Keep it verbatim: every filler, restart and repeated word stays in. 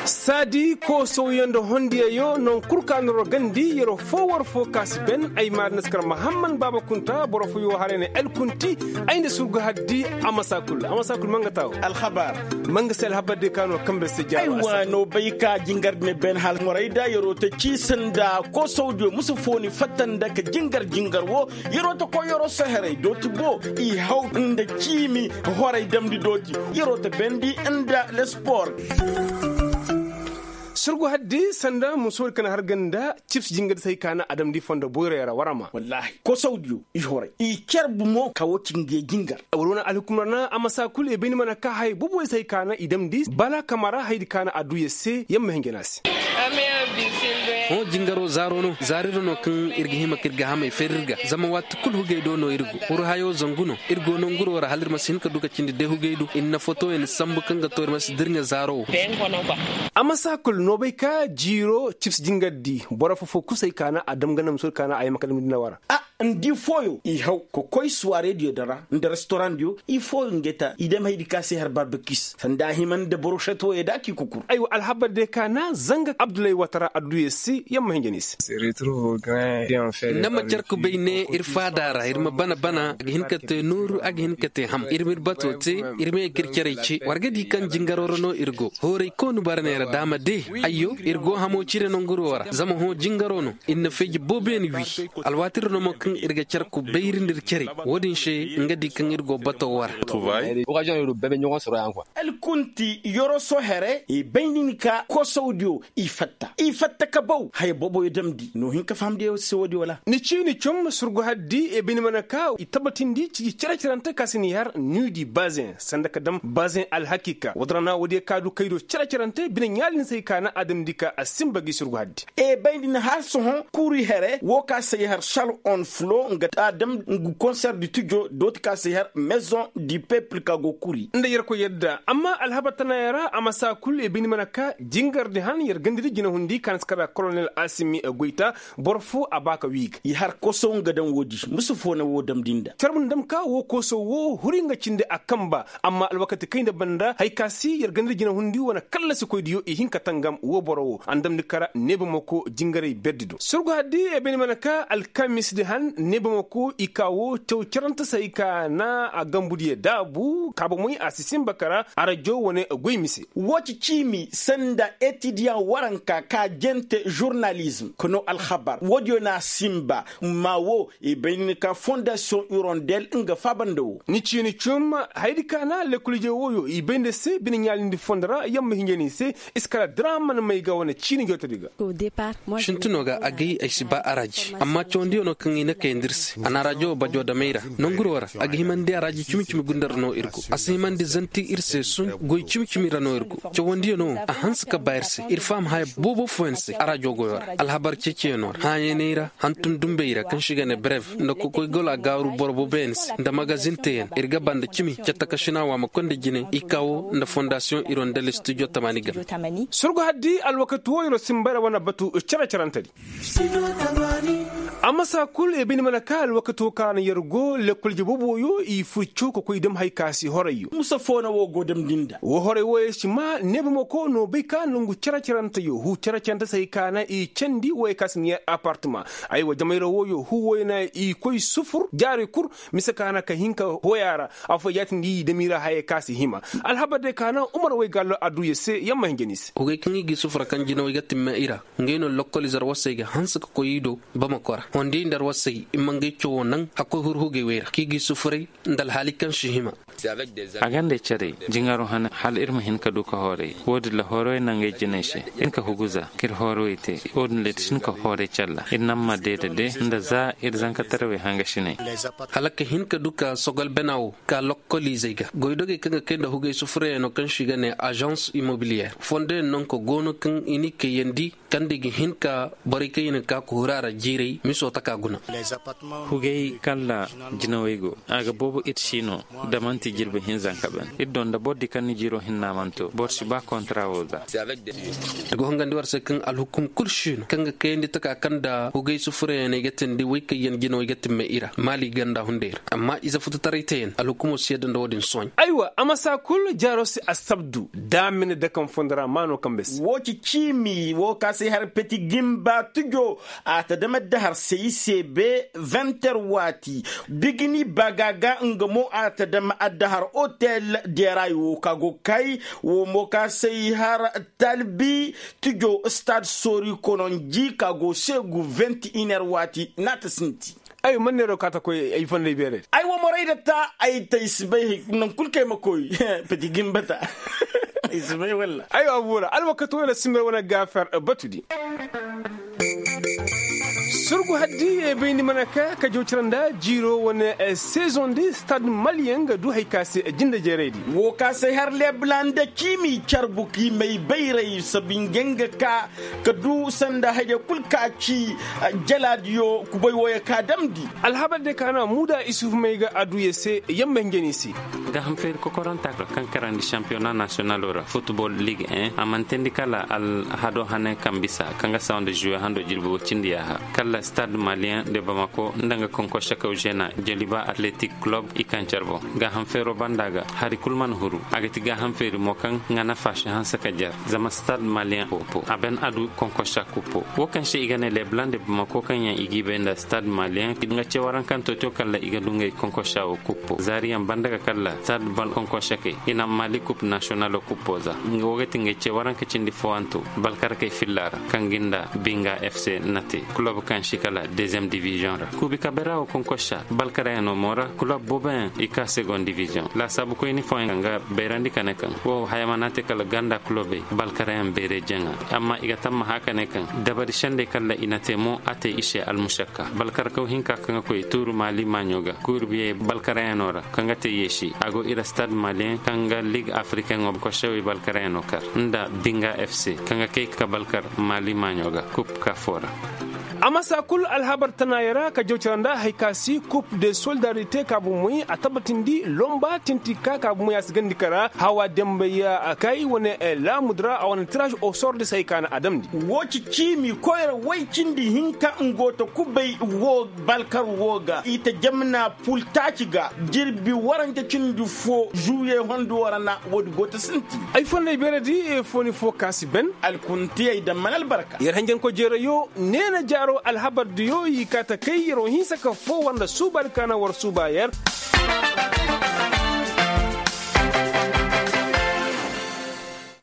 Saadi koosowyo nda hondiyayo non kul ka noro gandi yero fo war fo ka si ben ay maari naskar mahamman baaba kunta boro fo yo haray na el kunti. Ay nda surgu haddi. Amasa kul amasa kul manga taawo. Alhabar. Manga se alhabar de ka no kambe se jaaba. Ay waano bay ka jingar ne ben hal moray da yero ta ciisa nda koosowdiyo musu fo ni fatta nda ka jingar jingar wo. Yero ta koy yero soherey dooti bo i haw nda ciimi. Horay damndi dooti. Yero ta bendi nda lespor. Surgu haddi sanda musoodi ka na har ganda cips jingar di se hay ka na adamndi fondo boyroy ra warama wallaahi kosawdiyo. I horay i car bumo ka wo ci ngey jingar. War wane alhukumar na a ma saa kul i bay ni mana ka haya boboy se hay ka na i damndi bala kamara hayadi ka na adduya se yamma hinjana se. Hõ jingaro zaaro no zaari ra no kaŋ ir ga hima ka ir ga hamay fari ir ga zama waati kul hugey do no ir go huru hayo zangu no. Ir go nanguro ra hala ir ma si hin ka du ka cindi day hugey do ir na fotoyaŋ sambu kaŋ ga to ir ma si dirɲa zaaro wo. A ma saa kul no bay ka jiiro cips jingar di boro fofo kusay ka na a dam ga na musoy ka na a yamma ka dam ga dina wara. Ndi fooyo i haw ka koy suwaarediyo din ra nda restorandiyo. I fooyo ngey ta i dam haydi ka se har barbekis sanda a hima nda borošet wooyo da k'i kukur. Aywa alhabar day ka na zanga abdullahi watara adduya se yamma hinja ni se. Nda ma car kubay ne ir faada ra ir ma bana bana a ga hin ka te nooru a ga hin ka te ham ir ma ir bato te. Ir ma ye ka ir carey ce war ga di kaŋ jingaro ra no ir go hooray koonu bara ne ra da a ma de. Ayyo ir go hamo cire nanguro ra zama hõ jingaro no. Ir na feeji booboyaŋ wi alwaati ra no mo kaŋ ir ga care kubayri nda ir care. Wo-din se nga di kaŋ ir go bato wara. Alkunti yoroso here i bay nin ka kosawdiyo i fatta i fatta ka baw haya booboyo damndi no hin ka fahamndi se wo-di wala. Ni ciini cum surgu haddi i bay ni mana ka i tabbatindi ciji cere-cerante ka si ni har nuudi bazen sanda ka dam bazen alhakiika wodorana wo-diyo ka du kay do cere-cerante bine ɲaali ni se hay ka na a damndi ka a sinba gi surgu haddi. E bay ni na har sohõ kuuri here wo ka se i har sal on flo nga ta dam ngu konser di tujo dooti ka se i har maison di pepil ka go kuuri nda yerkoy yadda amma alhabar tanayaŋ ra a ma saa kul i bay ni mana ka jingar di han yer ganda di jinahundi ka na si kara kolonel asimi goyta. Boro fo a ba ka wi ga i har kosow nga daŋ wo-di musu fo na wo damndi nda carbu nda dam ka wo kosow wo huri nga cindi a kamba. Amma alwakati kayna banda haya ka si yer ganda di jinahundi wane kallasi-koydiyo i hin ka tangam wo boro wo a na damndi kara neebamako jingaray berdi do surgu haddi i bay ni mana ka alkamis di han neebamako i ka wo caw carante se hay ka na a gambudiyo daabu kaabamoy a si sinba kara arajo wane goy mise. Wo ci ciimi sanda etidiyaŋ waranka ka jente žurnalizm ka no alhabar wo-diyo na a sinba. Ma wo i bay ni ka fondasiyoŋ irondel nga faaba nda wo. Ni ciini cum hayadi ka na lekkol-ije wooyo i bay nda se bine ɲaalindi fondo ra yamma hinja ni se. I si kala diraama na may ga wane ciini jootodi ga. Sintinoo ga agay ay si ba araaji amma cawandiyo no kaŋ i na kayandi ir se a na araajo wo bajo damay ra. Nanguroo ra a ga himandi araaji cimi-cimi gunda ra no ir go a si himandi zanti ir se sun goy cimi-cimi ra no ir go. Cawandiyo no a hanse ka ba ir se ir faham haya boobo fooyaŋ se araajo goyo ra alhabar ceeciyaŋo ra hãayaney ra hantum dumbey ra kaŋ se i ga ne brev nda kokoy gol a gaaru boro booboyaŋ se nda magazin teeyaŋ ir ga ba nda cimi catakasina waamakoy nda jine i kaawo nda fondasiyoŋ irondel studio tamaani game. Surgu haddi alwakati wo yer wo sinba ra wane batu cere-cerante di. A masa kul i bay ni mana ka alwakati wo kaŋ a na yer go lekkol jaboobo yo i fur caw ka koy dam hay ka si horey yo musa fo na wo go damndi nda wo horey wo yer si maa neebamako no bay ka nangu cere-cerante yo huu cere-cerante se hay ka na i candi wo yer ka si na yer apartama. Aywa jamayra wo yo huu wo yer na i koy sufur jaari kul mise ka na ka hin ka hoy a ra. Afooyaŋ yaatindi i dam i ra hayey ka si hima. Alhabar day ka na umar way gallo adduya se yamma hinja ni se. Hugey kaŋ i g'i sufura kaŋ jinawey ga timma i ra. Ngey no lokkol ize arwasey ga hanse ka koy i do bamako ra hondiyey nda arwasey i ma ngey cawoo naŋ hakkoy huru hugey wey ra kaŋ i g'i sufuray. Nda alhaali kaŋ si hima. A ga nda ay carey jingaroo hane hala ir ma hin ka du ka hooray wo-din ra hoorowey na ngey jinay se. Ir hin ka huguza ka ir hoorowey te. Wo-din ra ir si hin ka hooray calla ir naŋ ma deeda de nda za ir zankatarawey hangasiney. Hala ka hin ka du ka sogol bena wo ka lokkol izey ga goydogey kaŋ ga kay nda hugey sufurayaŋo kaŋ se i ga ne azans imobiliyeer fondoyaŋ nanko go no kaŋ i n'i kayandi kaŋ nda i ga hin ka borey kaŋ i na ka ka huru a ra jiiray. Hugay kaŋ ra jinawey go a ga boobo ir si no. Da man'ti jirbi hinzanka ben ir do nda boro di kaŋ ni jiiro hinna mana to boro si ba kontara wo za. Ay go hangandi war se kaŋ alhukum kul si no kaŋ ga kayandi taka kaŋ nda hugay sufurayaŋ ay ga tindi way kaŋ yaŋ jinawey ga timme i ra maali ganda hunday ra amma ize fututaray teyaŋ alhukumo si yadda nda wo-din sohõ. Aywa a ma saa kul jaaro se assabdu da a ma ni dakaŋ fondo ra maano kaŋ bay se. Wo ci ciimi wo ka se har peti gimba tujo a ta dama dahar se i se be venter waati. Bigini bagaaga nga mo a ta dama addahar otel deray wo ka go kay wo mo ka se i har talbi tujo stad sori kononji ka go se gu venti iner waati na ta sinti. Ay man neero ka ta koy ay fonday beerey. Ay wo moray da ta ay ta i si bay hay naŋ kul kay ma koy. Peti gimba ta. Ay si bay walla. Ay wo buura alwakati wane simir wane gaafar batudi. Surgu haddi bayndi mana ka ka jawcira nda jiiro wane sezondi stad maliyaŋ ga du hay ka se jinde jeeraydi. Wo ka se har lebla nda ciimi carbu ka i may bayray sabinge nga ka ka du sanda hayey kul ka ci. Jalaadiyo kubay wooyo ka damndi. Alhabar de ka no muuda isuf may ga a du ye se yamma hinja no i se. Gaaham feeri kokoranta kaŋ karandi sampiyona nasiyonalo ra futbol lig en a mana teendi kala alhado hane kaŋ bisa kaŋ ga sawa nda zuwe hando jirbi woy cindi yaaha. Kala stad maliyen de bamako nda nga konkorsakaw zeena joliba atletik kulob i kaŋ care boŋ. Gaaham feero banda ga hari kul mana huru a ga ti gaaham feeri mo kaŋ nga nafa si hanse ka jar. Zama stad maliyen popo a ban a du konkorsa kuppo wo kaŋ se i ga ne leblande bamako kaŋ yaŋ i g'i bay nda stad maliyen nga ce warankanto to kala i ga du ngey konkorsa wo kuppo zaariyaŋ banda ga kala stad bal konkorsakey i na mali kup nasiyonalo kuppo za. Wo ga ti ngey ce waranka cindi fooyanto balkarakey filla ra kaŋ ga nda binga fc na te kulob kaŋ si kala deziyem diviziyoŋ ra kuubi kabe ra wo konkorsa balkarayaŋo mo ra kulob booboyaŋ i ka segon diviziyoŋ laasaabukoyni fooyaŋ kaŋ ga bayrandi ka ne kaŋ wo haya mana te kala ganda kulobey balkarayaŋ beere jaŋa. Amma i ga tammaha ka ne kaŋ dabari sendey kala i na te mo a te i se almusakka balkarakaw hinka kaŋ ga koy tuuru maali maaɲo ga kuuri biyey balkarayaŋo ra kaŋ ga te yeesi a go ira stad maliyen kaŋ ga lig afrikaŋo korsewey balkarayaŋo kar nda binga fc kaŋ ga kay ka balkar maali maaɲo ga kup ka foo ra. A masa kul alhabar tanaayey ra ka jaw cara nda hari ka si kup de solidarite ka bumoy a tabatindi lomba tinti ka ka bumoy a si gandi kara hawa dembay a kay wane laamudi ra a wane tiraaz osor de se hari ka na a damndi. Wo ci ciimi koyra way cindi hinka ngo ta kubay wo balkar wo ga i ta jamna pultaaci ga jirbi warante cindi fo zuwiye hondo ra na woodi go ta sinti. Ay fonnay beeredi fooni fo ka si ben alkuntiyey daŋ mana albarka. Yer hanjankoy jeerayo neena jaaro alhabardiyo i kaa ta kay yeroo hinsa ka foo war nda suubaadi ka na war suuba yer.